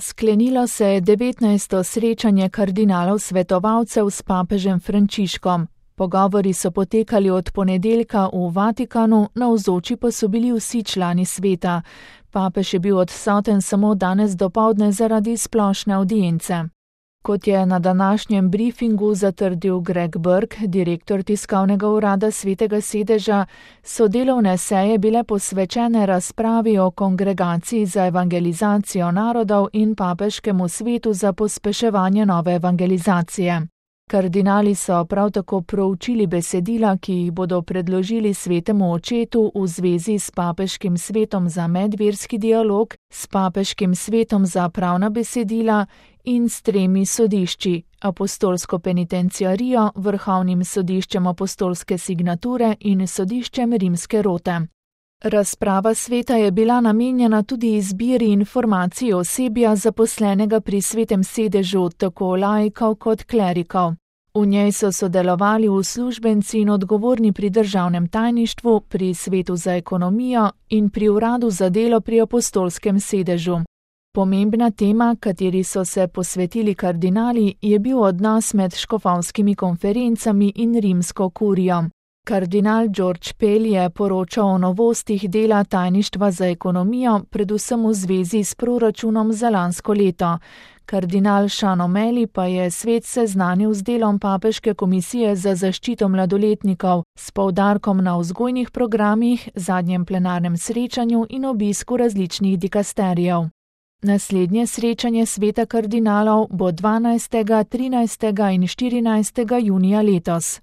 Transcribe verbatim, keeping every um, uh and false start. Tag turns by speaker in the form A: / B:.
A: Sklenilo se je devetnajsto srečanje kardinalov svetovalcev s papežem Frančiškom. Pogovori so potekali od ponedeljka v Vatikanu, navzoči pa so bili vsi člani sveta. Papež je bil odsoten samo danes dopoldne zaradi splošne avdience. Kot je na današnjem briefingu zatrdil Greg Burke, direktor tiskovnega urada Svetega sedeža, so delovne seje bile posvečene razpravi o kongregaciji za evangelizacijo narodov in papeškemu svetu za pospeševanje nove evangelizacije. Kardinali so prav tako proučili besedila, ki jih bodo predložili svetemu očetu v zvezi s papeškim svetom za medverski dialog, s papeškim svetom za pravna besedila in s tremi sodišči, apostolsko penitenciarijo, vrhovnim sodiščem apostolske signature in sodiščem rimske rote. Razprava sveta je bila namenjena tudi izbiri informacij osebja zaposlenega pri svetem sedežu, tako laikov kot klerikov. V njej so sodelovali uslužbenci in odgovorni pri državnem tajništvu, pri svetu za ekonomijo in pri uradu za delo pri apostolskem sedežu. Pomembna tema, kateri so se posvetili kardinali, je bil odnos med škofovskimi konferencami in rimsko kurijo. Kardinal George Pell je poročal o novostih dela tajništva za ekonomijo, predvsem v zvezi s proračunom za lansko leto. Kardinal Sean O'Malley pa je svet seznanil z delom Papeške komisije za zaščito mladoletnikov, s poudarkom na vzgojnih programih, zadnjem plenarnem srečanju in obisku različnih dikasterijev. Naslednje srečanje sveta kardinalov bo dvanajstega, trinajstega in štirinajstega junija letos.